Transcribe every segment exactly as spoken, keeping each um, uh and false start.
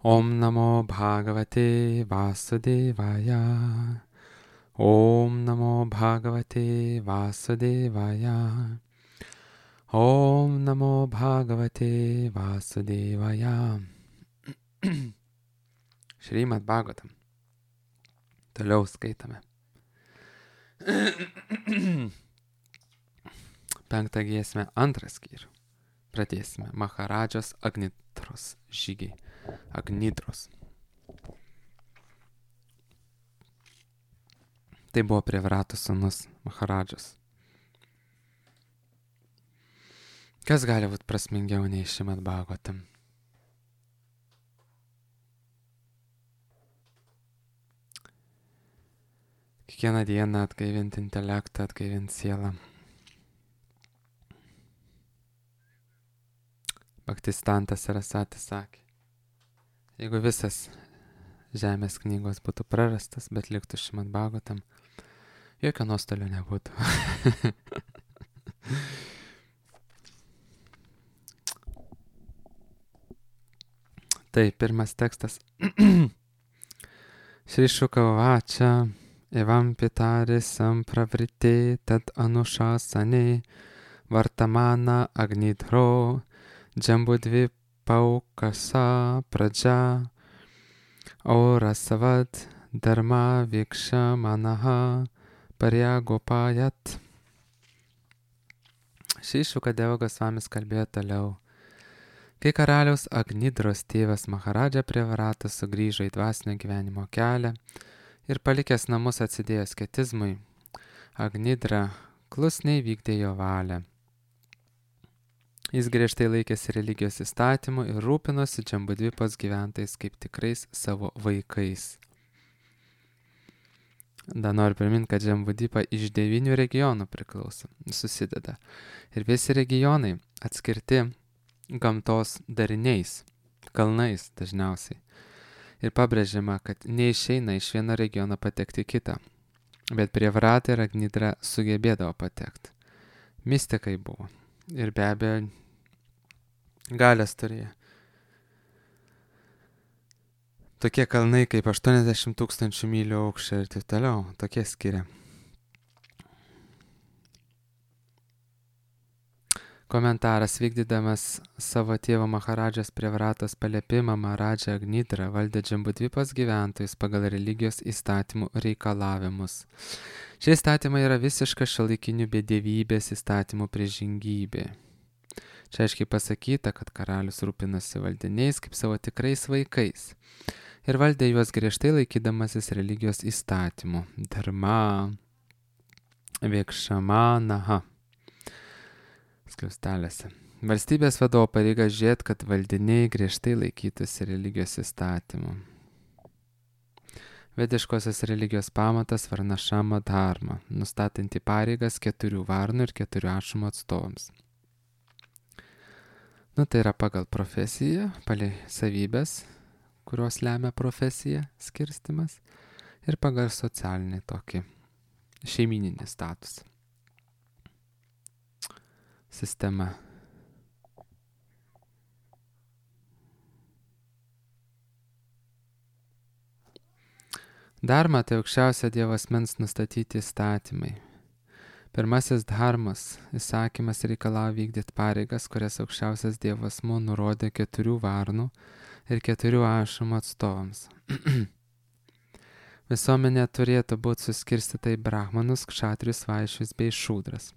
Om Namo Bhagavate Vasudevaya. Om Namo Bhagavate Vasudevaya. Om Namo Bhagavate Vasudevaya. Šrimad Bhagavatam. Toliau skaitame. Penktą giesmę, antrą skyrių. Pradėsime Maharadžos Agnidros žygiai. Agnidros. Tai buvo Prevrato sūnus Maharadžas. Kas gali būti prasmingiau nei Šrimad Bhagavatam? Kiekvieną dieną atgaivinti intelektą, atgaivinti sielą. Bhaktistantas Sarasvatis sakė, jeigu visas žemės knygos būtų prarastas, bet liktų Šrimad Bhagavatam, jokio nuostolio nebūtų. Tai pirmas tekstas. Šri Šuka Uvača evam pitari sampravrite tad anušasane vartamana agnidro Jambudvi paukasa pradža aurasavad dharma viksha manaha paryagopayat. Šri Šuka Deva Gosvamis kalbėjo toliau. Kai karaliaus Agnidros tėvas Maharadža Prevratas sugrįžo į dvasinio gyvenimo kelią ir palikęs namus atsidėjo asketizmui, Agnidra klusniai vykdė jo valią. Jis griežtai laikėsi religijos įstatymų ir rūpinosi Džambudvipos gyventojais kaip tikrais savo vaikais. Dar noriu priminti, kad Džambudvipa iš devynių regionų priklauso, susideda. Ir visi regionai atskirti gamtos dariniais, kalnais dažniausiai. Ir pabrėžiama, kad neišeina iš vieno regiono patekti kitą. Bet Prevrata ir Agnidra sugebėdavo patekti. Mistikai buvo. Ir be abejo, galės turėjo. Tokie kalnai kaip aštuoniasdešimt tūkstančių mylių aukščio ir taip toliau. Tokie skiria. Komentaras: vykdydamas savo tėvo Maharadžos Prevratos paliepimą, Maharadža Agnidra valdė Džambudvipos gyventojus pagal religijos įstatymų reikalavimus. Šie įstatymai yra visiška šiuolaikinių bedievybės įstatymų priešingybė. Čia aiškiai pasakyta, kad karalius rūpinosi valdiniais kaip savo tikrais vaikais ir valdė juos griežtai laikydamasis religijos įstatymų. Dharma vikšamanaha. Skliaustelėse. Valstybės vadovo pareiga žiūrėti, kad valdiniai griežtai laikytųsi religijos įstatymų. Vediškosios religijos pamatas varnašama dharma, nustatanti pareigas keturių varnų ir keturių ašumų atstovams. Nu, tai yra pagal profesiją, pagal savybės, kurios lemia profesiją, skirstimas, ir pagal socialinį tokį šeimininį statusą. Sistema. Dharma tai aukščiausio Dievo asmens nustatyti įstatymai. Pirmasis dharmas įsakymas reikalavo vykdyti pareigas, kurias aukščiausias Dievo asmuo nurodė keturių varnų ir keturių ašumų atstovams. Visuomenė turėtų būti suskirstyta į brahmanus, kšatrius, vaišius bei šūdras.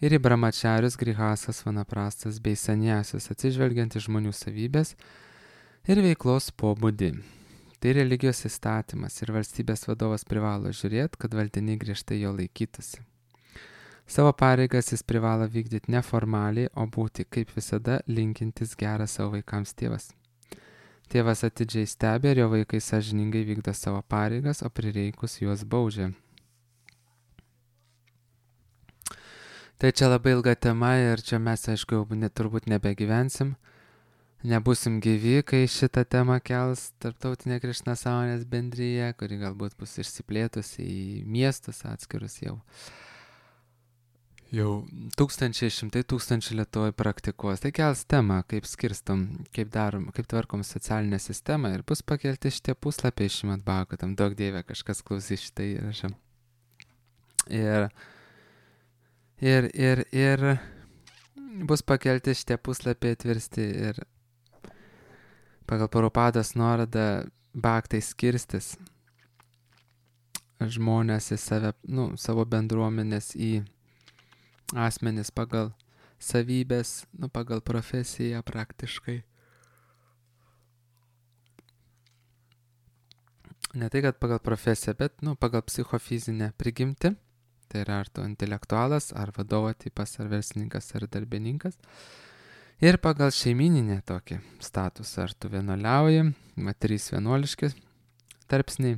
Ir į brahmačarius, grihasas, vanaprastas bei sanjasius, atsižvelgiant į žmonių savybės ir veiklos pobūdį. Tai religijos įstatymas ir valstybės vadovas privalo žiūrėti, kad valdiniai griežtai jo laikytųsi. Savo pareigas jis privalo vykdyti neformaliai, o būti kaip visada linkintis gerą savo vaikams tėvas. Tėvas atidžiai stebi, ir jo vaikai sąžiningai vykdo savo pareigas, o prireikus juos baudžia. Tai čia labai ilga tema ir čia mes, aišku, jau net, turbūt nebegyvensim. Nebūsim gyvi, kai šitą temą kels Tarptautinė Krišna sąmonės bendryje, kuri galbūt bus išsiplėtusi į miestus atskirus jau. jau tūkstančiai, šimtai tūkstančių Lietuvoje praktikuos. Tai kels temą, kaip skirstom, kaip darom, kaip tvarkom socialinę sistemą ir bus pakelti šitie puslapiai Šrimad Bhagavatam. Daug dievė kažkas klausys šitą įrašą. Ir, ir, ir, ir bus pakelti šitie puslapiai atvirsti ir pagal Prabhupados nuorodą bhaktai skirstis žmonės į save, nu, savo bendruomenės į asmenis pagal savybės, nu, pagal profesiją praktiškai. Ne tai, kad pagal profesiją, bet, nu, pagal psichofizinę prigimtį. Tai yra ar tu intelektualas, ar vadovo tipas, ar verslininkas, ar darbininkas. Ir pagal šeimininę tokį statusą, ar tu vienuoliauji, va, trys vienuoliški tarpsniai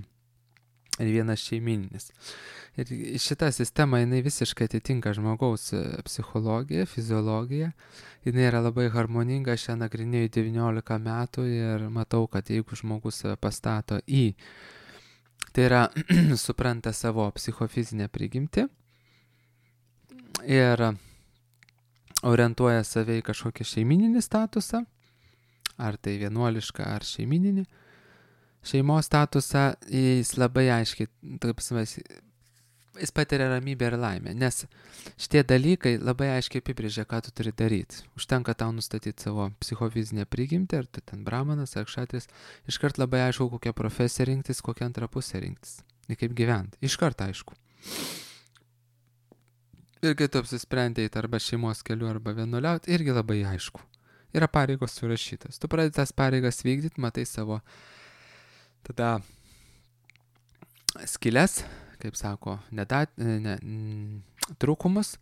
ir vienas šeimininis. Ir šita sistema, jinai visiškai atitinka žmogaus psichologiją, fiziologiją. Jinai yra labai harmoninga, aš ją nagrinėju devyniolika metų ir matau, kad jeigu žmogus pastato į, tai yra supranta savo psichofizinę prigimtį ir orientuoja save į kažkokį šeimininį statusą, ar tai vienuolišką, ar šeimininį šeimos statusą, jis labai aiškiai, taip savęs, jis patiria ramybę ir laimę, nes šitie dalykai labai aiškiai apibrėžia, ką tu turi daryti. Užtenka tau nustatyti savo psichofizinę prigimtį, ar tu ten brahmanas, ar kšatris, iškart labai aišku, kokią profesiją rinktis, kokią antrą pusę rinktis, ir kaip gyventi, iškart aišku. Ir kai tu apsisprendėjai arba šeimos keliu, arba vienuoliauti, irgi labai aišku. Yra pareigos surašytas. Tu pradedi tas pareigas vykdyti, matai savo tada skilės, kaip sako, nedat, ne, n, trūkumus,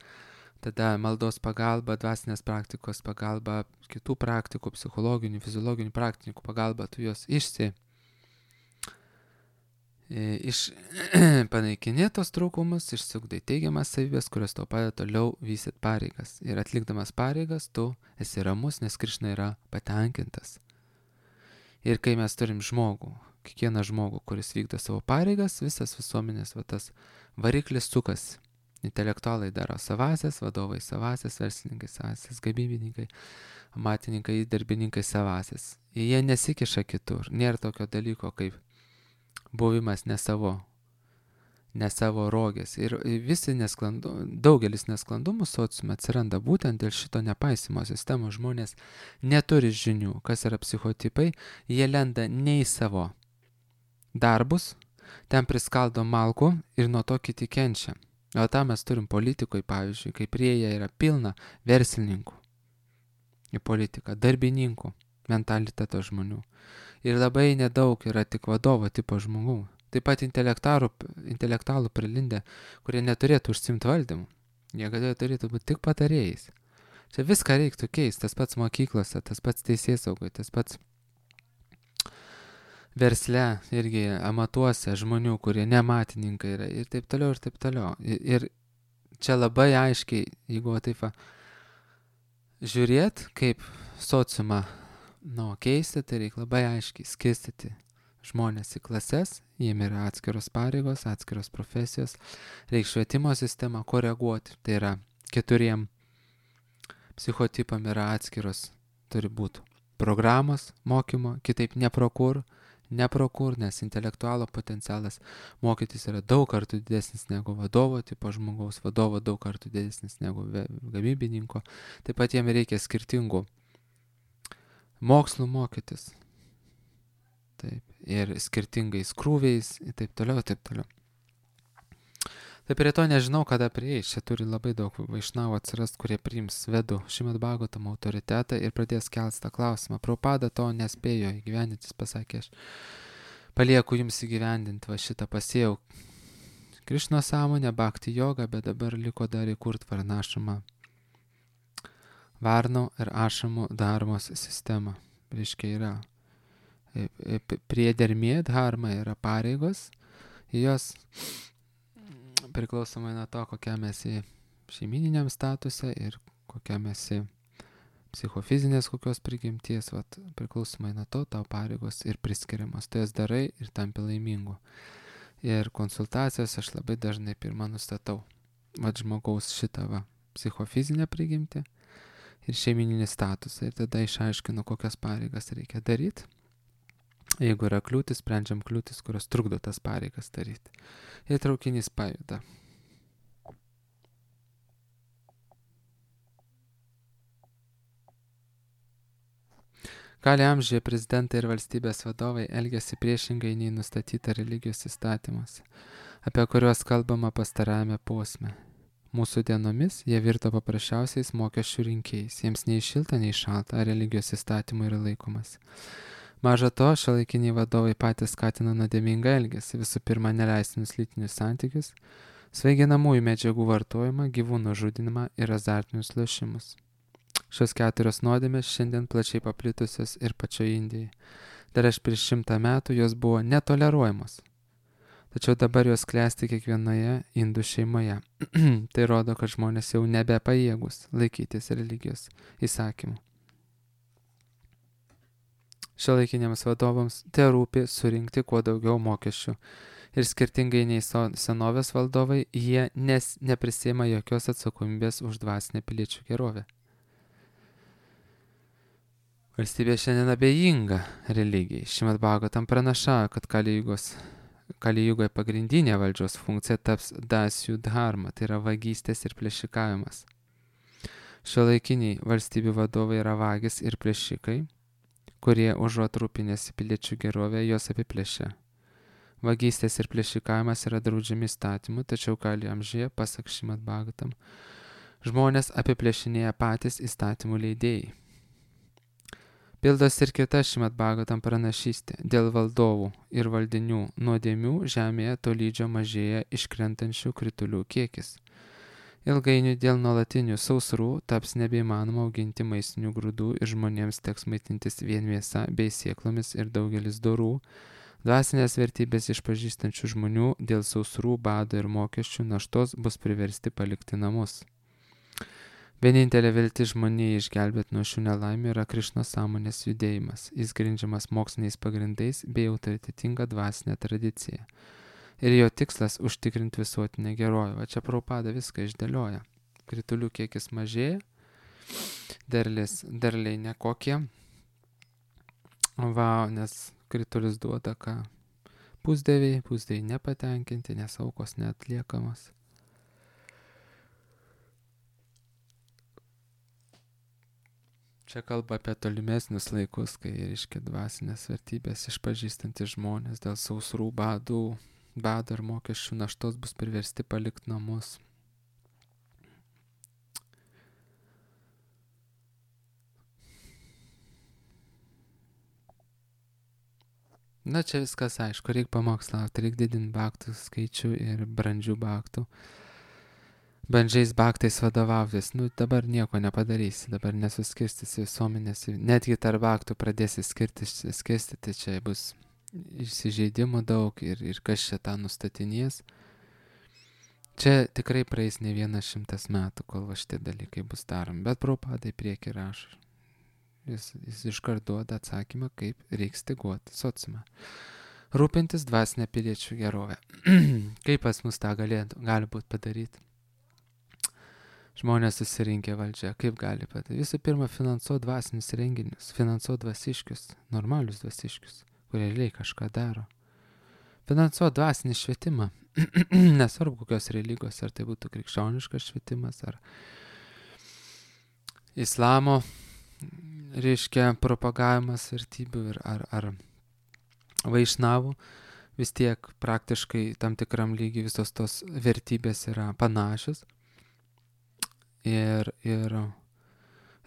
tada maldos pagalba, dvasinės praktikos pagalba, kitų praktikų, psichologinių, fiziologinių praktikų pagalba, tu juos išsi, iš, panaikinė tos trūkumus, išsiugdai teigiamas savybės, kurios tau padeda toliau vystyti pareigas. Ir atlikdamas pareigas, tu esi ramus, nes Krišna yra patenkintas. Ir kai mes turim žmogų, kiekvieną žmogų, kuris vykdo savo pareigas, visas visuomenės va, tas variklis sukas. Intelektualai daro savasias, vadovai savasias, verslininkai savasias, gamybininkai, amatininkai, darbininkai savasias. Jie nesikiša kitur. Nėra tokio dalyko kaip buvimas ne savo, ne savo rogės. Ir visi nesklandumai, daugelis nesklandumų sociume atsiranda būtent dėl šito nepaisimo sistemos. Žmonės neturi žinių, kas yra psichotipai, jie lenda ne į savo darbus, ten priskaldo malkų ir nuo to kiti kenčia. O tą mes turim politikoje, pavyzdžiui, kai prie jie yra pilna verslininkų į politiką, darbininkų, mentaliteto žmonių. Ir labai nedaug yra tik vadovo tipo žmogų. Taip pat intelektualų, intelektualų prilindę, kurie neturėtų užsimti valdymu. Jie galėjo turėtų būti tik patarėjais. Čia viską reiktų keisti, tas pats mokyklose, tas pats teisėsaugoje, tas pats versle, irgi amatuose žmonių, kurie nematininkai yra ir taip toliau, ir taip toliau. Ir, ir čia labai aiškiai, jeigu taip žiūrėt, kaip sociumą nu, keisti, tai reikia labai aiškiai skirstyti žmonės į klases, jiem yra atskiros pareigos, atskiros profesijos, reikia švietimo sistemą koreguoti, tai yra keturiem psichotipam yra atskiros, turi būti programos mokymo, kitaip neprokur, neprokur, nes intelektualo potencialas mokytis yra daug kartų didesnis negu vadovo tipo žmogaus, vadovo daug kartų didesnis negu gamybininko, taip pat jiem reikia skirtingų mokslų mokytis. Taip, ir skirtingais krūviais, ir taip toliau, taip toliau. Tai prie to nežinau, kada prieis. Čia turi labai daug vaišnavų atsirast, kurie priims vedų Šrimad Bhagavatam autoritetą ir pradės kelti tą klausimą. Prabhupada to nespėjo įgyvendinti, jis pasakė, aš palieku jums įgyvendinti va šitą, pasėjau Krišnos sąmonę, bhakti jogą, bet dabar liko dar įkurt varnašamą varno ir ašamų dharmos sistemą. Reiškia yra priedermė dharma, yra pareigos, jos priklausomai nuo to, kokiam esi šeimininiam statuse ir kokiam esi psichofizinės kokios prigimties, vat, priklausomai nuo to, tau pareigos ir priskiriamas. Tu jas darai ir tampi laimingu. Ir konsultacijas aš labai dažnai pirmą nustatau. Vat žmogaus šitą va, psichofizinę prigimtį ir šeimininį statusą. Ir tada išaiškinu, kokias pareigas reikia daryti. Jeigu yra kliūtis, sprendžiam kliūtis, kurios trukdo tas pareigas daryti. Ir traukinys pajuda. Kali amžiuje prezidentai ir valstybės vadovai elgiasi priešingai nei nustatyta religijos įstatymuose, apie kuriuos kalbama pastarajame posme. Mūsų dienomis jie virto paprasčiausiais mokesčių rinkėjais, jiems nei šilta, nei šalta, ar religijos įstatymų yra laikomas. Maža to, šiuolaikiniai vadovai patys skatina nuodėmingą elgesį, visų pirma neleistinus lytinius santykius, svaiginamųjų medžiagų vartojimą, gyvūnų žudinimą ir azartinius lošimus. Šios keturios nuodėmės šiandien plačiai paplitusios ir pačioje Indijoje. Dar aš prieš šimtą metų jos buvo netoleruojamos. Tačiau dabar jos klesti kiekvienoje indų šeimoje. Tai rodo, kad žmonės jau nebepajėgus laikytis religijos įsakymų. Šiuolaikiniams vadovams te rūpi surinkti kuo daugiau mokesčių. Ir skirtingai nei senovės valdovai, jie nes neprisima jokios atsakomybės už dvasinę piliečių gerovę. Valstybė šiandien abejinga religijai. Šrimad Bhagavatam pranašauja, kad Kali Jugoje pagrindinė valdžios funkcija taps dasijų dharma, tai yra vagystės ir plėšikavimas. Šiuolaikiniai valstybių vadovai yra vagys ir plėšikai, kurie užuot rūpinėsi piliečių gerovę, jos apiplėšia. Vagystės ir plėšikavimas yra draudžiami įstatymų, tačiau Kali amžiuje, pasak Šrimad Bhagavatam, žmonės apiplėšinėja patys įstatymų leidėjai. Pildos ir kita Šrimad Bhagavatam pranašystė. Dėl valdovų ir valdinių nuodėmių žemėje tolydžio mažėja iškrentančių kritulių kiekis. Ilgainiui dėl nuolatinių sausrų taps nebeįmanoma auginti maistinių grūdų ir žmonėms teks maitintis vien mėsa bei sėklomis ir daugelis dorų. Dvasinės vertybės išpažįstančių žmonių dėl sausrų, bado ir mokesčių naštos bus priversti palikti namus. Vienintelė viltis žmonijai išgelbėti nuo šių nelaimių yra Krišnos sąmonės judėjimas. Jis grindžiamas moksliniais pagrindais bei autoritetinga dvasinė tradicija. Ir jo tikslas užtikrinti visuotinę gerovę. Va čia Prabhupada viską išdėlioja. Kritulių kiekis mažėja, derlis, derliai nekokie. Va, nes kritulius duoda ką pusdieviai, pusdieviai nepatenkinti, nes aukos neatliekamos. Čia kalba apie tolimesnius laikus, kai reiškia dvasinės vertybės išpažįstantys žmonės dėl sausrų, badų, bado ir mokesčių naštos bus priversti palikti namus. Na čia viskas aišku, reikia pamokslauti, reikia didinti bhaktų skaičių ir brandžių bhaktų. Bandžiais bhaktais vadovautis, nu dabar nieko nepadarysi, dabar nesuskirstysi visuomenės, netgi tarp bhaktų pradėsi skirstyti, skirstyti, čia bus įsižeidimų daug ir, ir kas čia tą nustatinės. Čia tikrai praeis ne vienas šimtas metų, kol va šitie dalykai bus daromi, bet Prabhupada į priekį rašo. Jis, jis iškart duoda atsakymą, kaip reiks styguoti sociumą. Rūpintis dvasinę piliečių gerovę. Kaip pas mus tą galėtų, gali būti padaryti? Žmonės susirinkę valdžia, kaip gali padaryti? Visų pirma, finansuoti dvasinius renginius, finansuoti dvasiškius, normalius dvasiškius, kurie realiai kažką daro. Finansuoti dvasinį švietimą, nesvarbu kokios religijos, ar tai būtų krikščioniškas švietimas, ar islamo, reiškia, propagavimas vertybių, ir ar, ar vaišnavų, vis tiek praktiškai tam tikram lygiai visos tos vertybės yra panašios. Ir, ir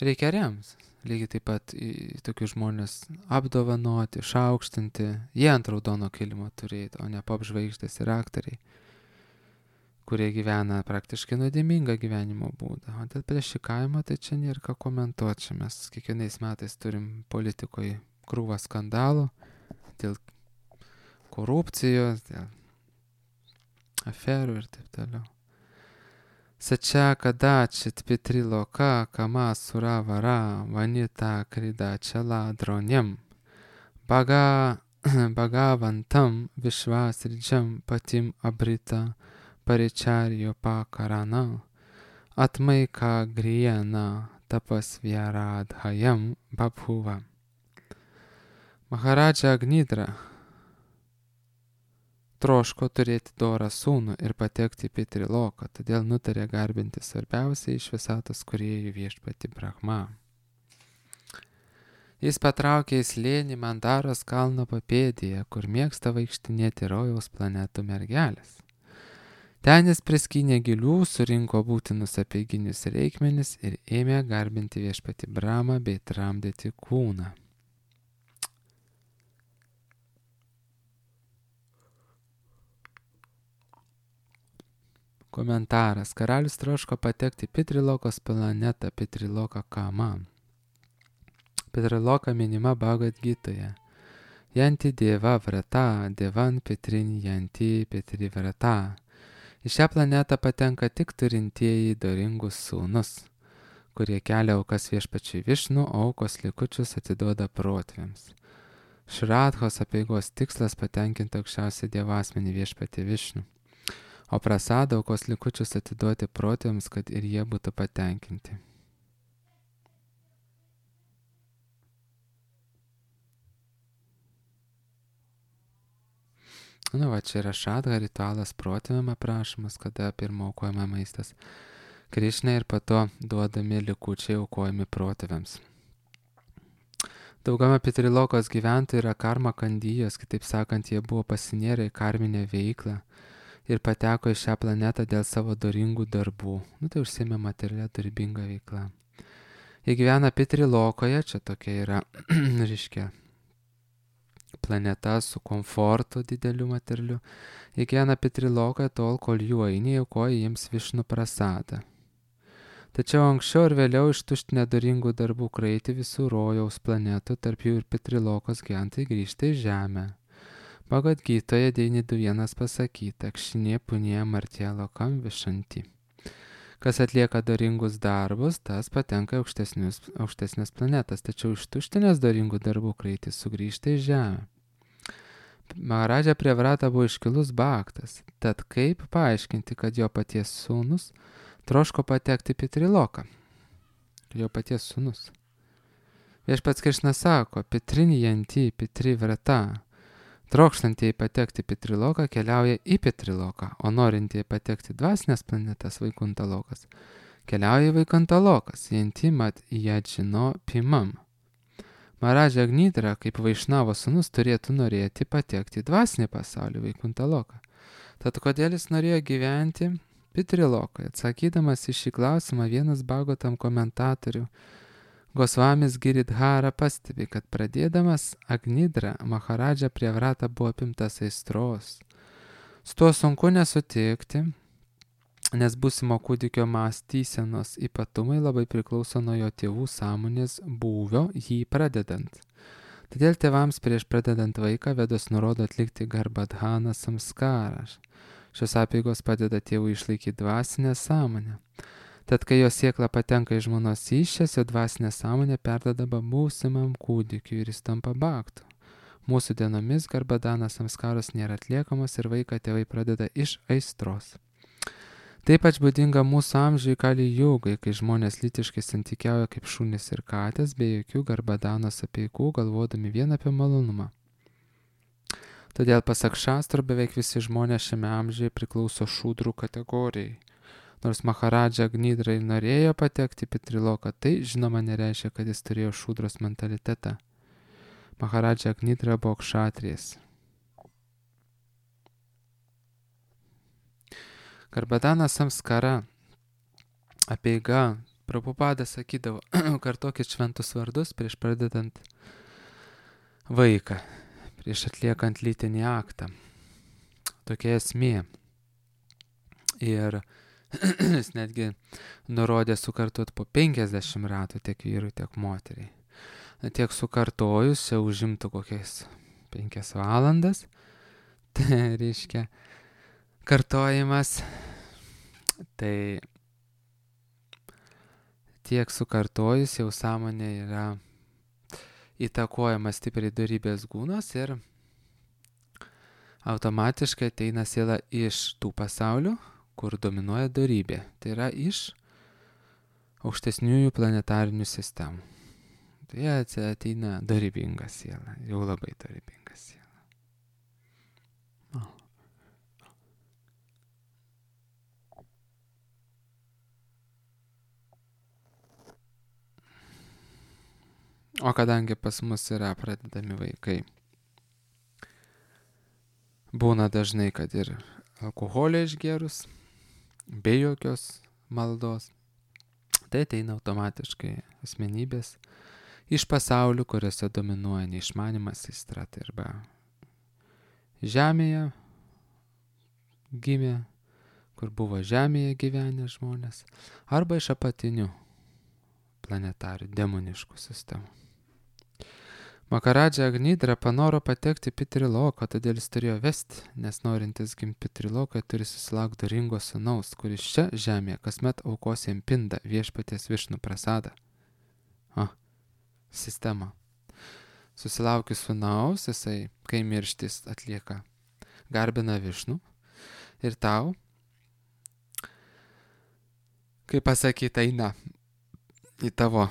reikia rems. Lygiai taip pat tokius žmonės apdovanoti, šaukštinti. Jie ant raudono kilimo turėti, o ne popžvaigždės ir aktoriai, kurie gyvena praktiškai nuodėmingą gyvenimo būdą. O dėl plėšikavimo tai čia nėra ką komentuoti. Čia mes kiekvienais metais turim politikoje krūvą skandalų dėl korupcijos, dėl aferų ir taip toliau. Sačia kadachit pitriloka kama suravara vanita kridachala dronyam baga bagavantam vishvasridjam patim abrita paricharyo pakarana atmaika griena tapasvyaradhayam babhuva. Maharadža Agnidra troško turėti dorą sūnų ir patekti į Pitriloką, todėl nutarė garbinti svarbiausiai iš visatos kūrėjų viešpatį Brahma. Jis patraukė į slėnį Mandaros kalno papėdėje, kur mėgsta vaikštinėti rojaus planetų mergelės. Ten jis priskynė gilių, surinko būtinus apeiginius reikmenis ir ėmė garbinti viešpatį Brahmą bei tramdyti kūną. Komentaras. Karalius troško patekti Pitrilokos planetą Pitriloką Kama. Pitriloka minima Bhagavad Gitoje. Janti Deva Vrata, Devan Pitrin Janti Pitri Vrata. Į šią planetą patenka tik turintieji doringus sūnus, kurie kelia aukas viešpačiui Višnu, o aukos likučius atiduoda protėviams. Šradhos apeigos tikslas patenkinti aukščiausią dievasmenį viešpatį Višnu, o prasada aukos likučius atiduoti protėviams, kad ir jie būtų patenkinti. Nu, va, čia yra šadha ritualas protėviam aprašomas, kada pirma aukojama maistas Krišnai ir po to duodami likučiai aukojami protėviams. Daugama Pitrilokos gyventojų yra karma kandijos, kitaip sakant, jie buvo pasinėrę į karminę veiklą ir pateko į šią planetą dėl savo doringų darbų. Nu, tai užsiėmė materialia dorybinga veikla. Jie gyvena Pitrilokoje, čia tokia yra, reiškia, planeta su komfortu dideliu materialiu. Jie gyvena Pitrilokoje tol, kol jų ainiai aukoja jiems Višnu prasadą. Tačiau anksčiau ir vėliau ištuštinę doringų darbų kraitį visų rojaus planetų, tarp jų ir Pitrilokos gyventojai grįžta į žemę. Bhagavad Gitoje devyni du vienas pasakyta, kšinė punė martė lokam višanti. Kas atlieka doringus darbus, tas patenka į aukštesnės planetas, tačiau ištuštinęs doringų darbų kraitis sugrįžta į žemę. Maharadža Priyavrata buvo iškilus bhaktas, tad kaip paaiškinti, kad jo paties sūnus troško patekti į Pitriloką? Jo paties sūnus. Viešpats Krišna sako, Pitrini janti, Pitri vrata. Trokštantieji patekti Pitriloką keliauja į Pitriloką, o norintieji patekti dvasinės planetas Vaikuntalokas keliauja į Vaikuntalokas, jantimat jadžino pimam. Maharadža Agnidra, kaip Vaišnavo sūnus, turėtų norėti patekti į dvasinį pasaulį Vaikuntaloką. Tad kodėl jis norėjo gyventi Pitrilokoje? Atsakydamas į šį klausimą, vienas Bhagavatam komentatorių Gosvamis Giridhara pastebi, kad pradėdamas Agnidra, Maharadža Priyavrata buvo apimtas aistros. Su tuo sunku nesutikti, nes būsimo kūdikio mąstysenos ypatumai labai priklauso nuo jo tėvų sąmonės būvio jį pradedant. Todėl tėvams prieš pradedant vaiką Vedos nurodo atlikti garbadhana samskarą. Šios apeigos padeda tėvui išlaikyti dvasinę sąmonę. Tad, kai jo siekla patenka į žmonos įsčias, jo dvasinė sąmonė perdodama būsimam kūdikiui ir jis tampa bhaktu. Mūsų dienomis garbadanas samskaros nėra atliekamas ir vaiką tėvai pradeda iš aistros. Taip pat būdinga mūsų amžiui Kali Jugai, kai žmonės lytiškai santykiauja kaip šunys ir katės, be jokių garbadanos apeigų, galvodami vien apie malonumą. Todėl pasak šastrų beveik visi žmonės šiame amžiuje priklauso šūdrų kategorijai. Nors Maharadža Agnidra ir norėjo patekti į Pitriloką, tai žinoma nereiškia, kad jis turėjo šūdros mentalitetą. Maharadža Agnidra buvo kšatrijas. Garbadana samskara apeiga. Prabhupada sakydavo, kartokit šventus vardus prieš pradedant vaiką, prieš atliekant lytinį aktą. Tokia esmė. Ir jis netgi nurodė sukartot po penkiasdešimt ratų tiek vyrui, tiek moteriai. Tiek sukartojus, čia užimtų kokias penkias valandas. Tai reiškia kartojimas. Tai tiek sukartojus jau sąmonė yra įtakojama stipriai dorybės gūnos ir automatiškai ateina siela iš tų pasaulių, kur dominuoja dorybė. Tai yra iš aukštesniųjų planetarinių sistemų. Tai ateina dorybinga siela, jau labai dorybinga siela. O. o kadangi pas mus yra pradedami vaikai, būna dažnai, kad ir alkoholio išgėrus, be jokios maldos, tai ateina automatiškai asmenybės iš pasaulių, kuriuose dominuoja neišmanimas, aistra, tai arba žemėje gimė, kur buvo žemėje gyvenę žmonės, arba iš apatinių planetarių demoniškų sistemų. Maharadža Agnidra panoro patekti Pitriloką, todėl jis turėjo vesti, nes norintis gimti Pitriloką turi susilaukti doringo sūnaus, kuris čia žemėje kasmet aukos jam pindą viešpaties Višnu prasadą. O, sistema. Susilaukius sūnaus, jisai, kai mirštis atlieka, garbina Višnų ir tau, kaip pasakyta, eina į tavo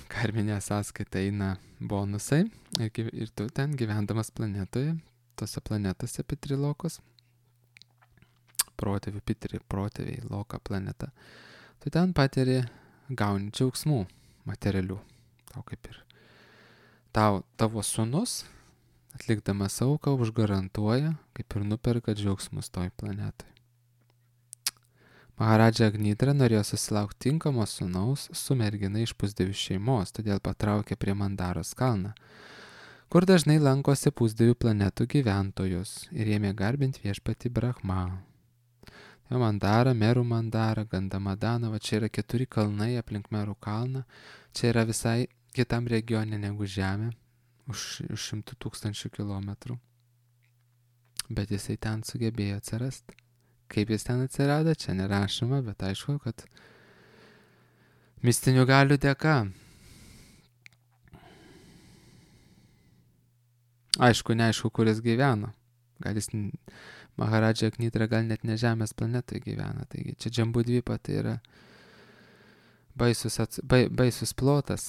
karminę sąskaitą eina bonusai ir, ir tu ten gyvendamas planetoje, tose planetose Pitrilokos, protėvių Pitri, protėviai Loka planeta, tu ten patiri gauni džiaugsmų materialių. Tau kaip ir tau, tavo sūnus, atlikdamas auką, užgarantuoja, kaip ir nuperka džiaugsmus toj planetoj. Maharadža Agnidra norėjo susilaukti tinkamo sūnaus su mergina iš pusdievių šeimos, todėl patraukė prie Mandaros kalną, kur dažnai lankosi pusdievių planetų gyventojus ir ėmė garbinti viešpatį Brahmą. Tai Mandara, Merų Mandara, Gandamadana, va čia yra keturi kalnai aplink Merų kalną, čia yra visai kitam regione negu Žemė, už šimtų tūkstančių kilometrų, bet jisai ten sugebėjo atsirasti. Kaip jis ten atsirado, čia nerašoma, bet aišku, kad mistinių galių dėka. Aišku, neaišku, kur jis gyveno. Gal jis, Maharadža Agnidra, gal net ne Žemės planetoje gyvena. Taigi čia Džambudvipa, tai yra baisus, ats, bai, baisus plotas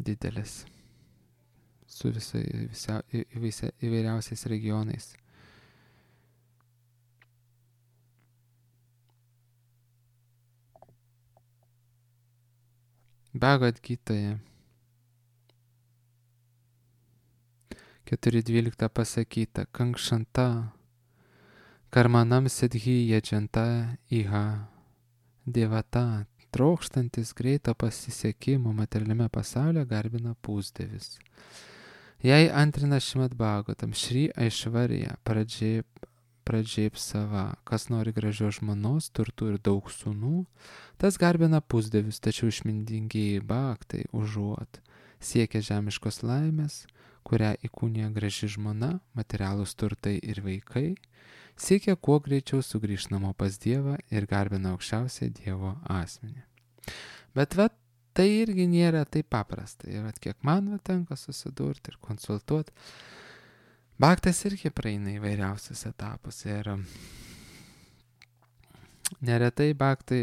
didelis su visai, visa, visa, įvairiausiais regionais. Bhagavad Gitoje keturi dvylika pasakyta, kankšanta karmanam sidhi jadžanta iha devata, trokštantis greito pasisekimo materialiame pasaulyje garbina pusdievis. Jei antrina Šrimad Bhagavatam Šri Aišvarija pradžiai pradžiai sava, kas nori gražios žmonos, turtų ir daug sūnų, tas garbina pusdievius, tačiau išmintingieji bhaktai užuot siekia žemiškos laimės, kurią įkūnija graži žmona, materialūs turtai ir vaikai, siekia kuo greičiau sugrįžti namo pas Dievą ir garbina aukščiausią Dievo asmenį. Bet va, tai irgi nėra taip paprasta. Ir vat, kiek man va, tenka susidurti ir konsultuoti, Bhaktas irgi praeina įvairiausius etapus ir neretai bhaktai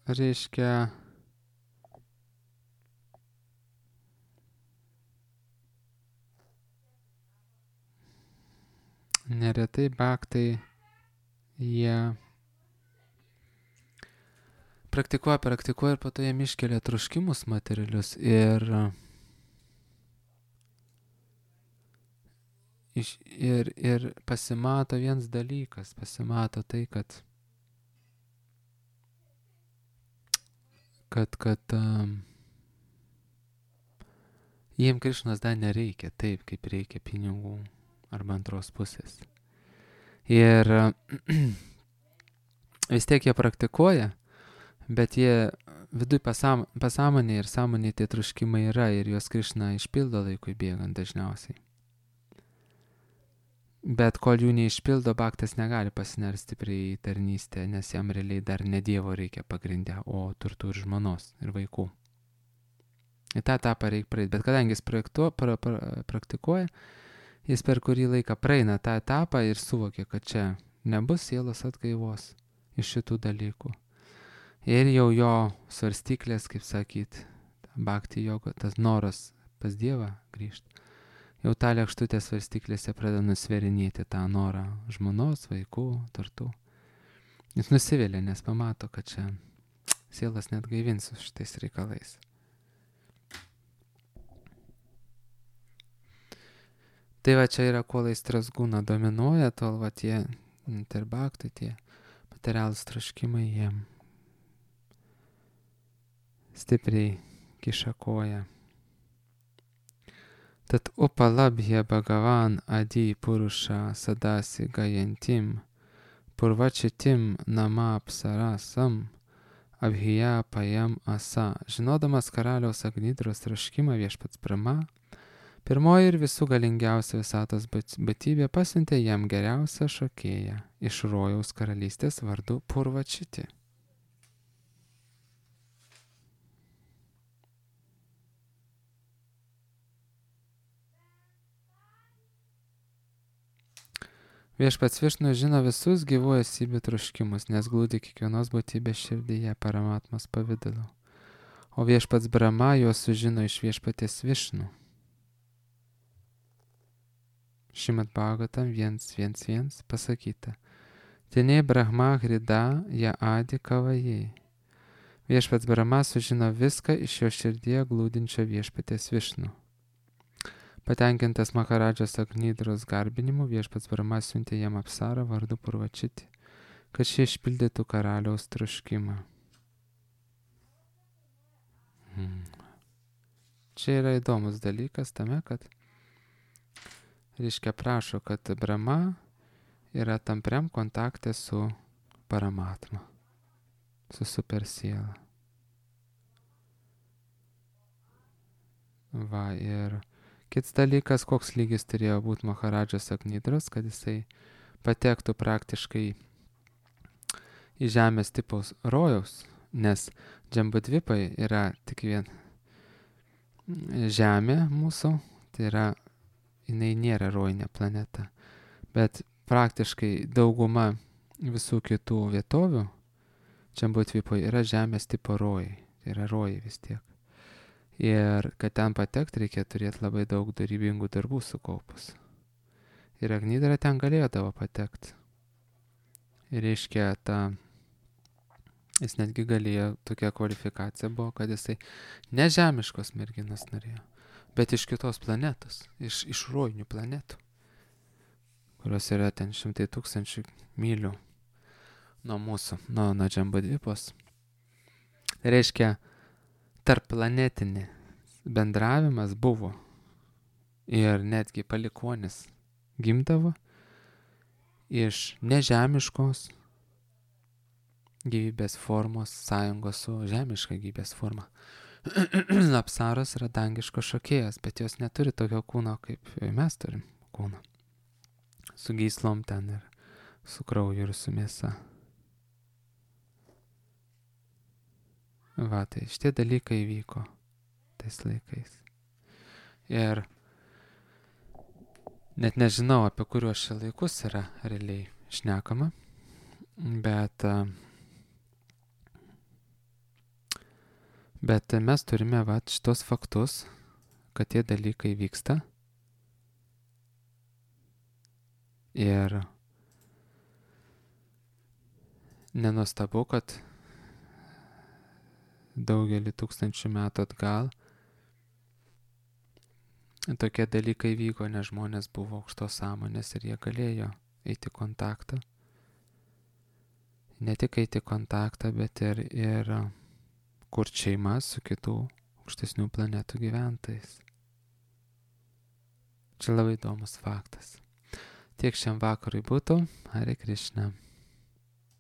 reiškia neretai bhaktai jie praktikuoja, praktikuoja ir po to jiem iškelia troškimus materialius ir Ir, ir pasimato vienas dalykas, pasimato tai, kad, kad, kad um, jiem Krišnos dar nereikia taip, kaip reikia pinigų arba antros pusės. Ir vis tiek jie praktikuoja, bet jie viduj pasam, pasąmonė ir sąmonė tie troškimai yra ir juos Krišna išpildo laikui bėgant dažniausiai. Bet kol jų neišpildo, bhaktas negali pasinerti stipriai į tarnystę, nes jam realiai dar ne Dievo reikia pagrindę, o turtų ir žmonos ir vaikų. Į tą etapą reikia praeiti, bet kadangi jis projektu, pra, pra, praktikuoja, jis per kurį laiką praeina tą etapą ir suvokia, kad čia nebus sielos atgaivos iš šitų dalykų. Ir jau jo svarstyklės, kaip sakyt, bhakti joga, tas noras pas Dievą grįžti, jau tą lėkštutę svarstyklėse pradeda nusverinėti tą norą žmonos, vaikų, turtų. Jis nusivėlė, nes pamato, kad čia sielas net gaivins su šitais reikalais. Tai va čia yra, kol aistros gūna dominuoja, tol va tie interbaktai, tie materialūs troškimai jiem stipriai kiša koją. Tad upalabhya bhagavan adi purusha sadasi gayantim purvačitim namapsarasam abhija pajam asa. Žinodamas karaliaus Agnidros troškimą, viešpats Brahma, pirmoji ir visų galingiausia visatos būtybė pasiuntė jam geriausią šokėją iš rojaus karalystės vardu Purvačiti. Viešpats Višnu žino visus gyvų esybių troškimus, nes glūdi kiekvienos būtybės širdyje paramatmos pavidalu. O viešpats Brahma juos sužino iš viešpaties Višnu. Šrimad Bhagavatam vienas vienas vienas pasakyta: Tene Brahma hrida ja adi kavajai. Viešpats Brahma sužino viską iš jo širdyje glūdinčio viešpaties Višnu. Patenkintas Maharadžos Agnidros garbinimu, viešpats Brahma siuntė jam apsarą vardu Purvačiti, kad šie išpildytų karaliaus troškimą. Hmm. Čia yra įdomus dalykas tame, kad reiškia prašo, kad Brahma yra tampriam kontakte su Paramatma, su supersiela. Va, ir kitas dalykas, koks lygis turėjo būti Maharadžos Agnidros, kad jisai patektų praktiškai į žemės tipaus rojaus, nes Džambudvipai yra tik vien žemė mūsų, tai yra, jinai nėra rojinė planeta, bet praktiškai dauguma visų kitų vietovių Džambudvipai yra žemės tipo rojai, tai yra rojai vis tiek. Ir kad ten patekti reikia turėti labai daug darybingų darbų sukaupus. Ir Agnidra ten galėdavo patekti. Ir reiškia, ta, jis netgi galėjo, tokia kvalifikacija buvo, kad jisai ne žemiškos merginas norėjo, bet iš kitos planetos, iš, iš rojinių planetų, kurios yra ten šimtai tūkstančių mylių nuo mūsų, nuo, nuo Džambudvipos. Tai reiškia, tarp planetinį bendravimas buvo ir netgi palikuonis gimdavo iš nežemiškos gyvybės formos sąjungos su žemiška gyvybės forma. Apsaros yra dangiškos šokėjas, bet jos neturi tokio kūno, kaip mes turim kūną. Su gyslom ten ir su krauju ir su mėsa. Va, tai šitie dalykai vyko tais laikais. Ir net nežinau, apie kuriuos šie laikus yra realiai šnekama, bet, bet mes turime va, šitos faktus, kad tie dalykai vyksta. Ir nenuostabu, kad daugelį tūkstančių metų atgal tokie dalykai vyko, nes žmonės buvo aukštos sąmonės ir jie galėjo eiti kontaktą. Ne tik eiti kontaktą, bet ir, ir kurti šeimas su kitų aukštesnių planetų gyventojais. Čia labai įdomus faktas. Tiek šiam vakarui būtų. Hare Krishna.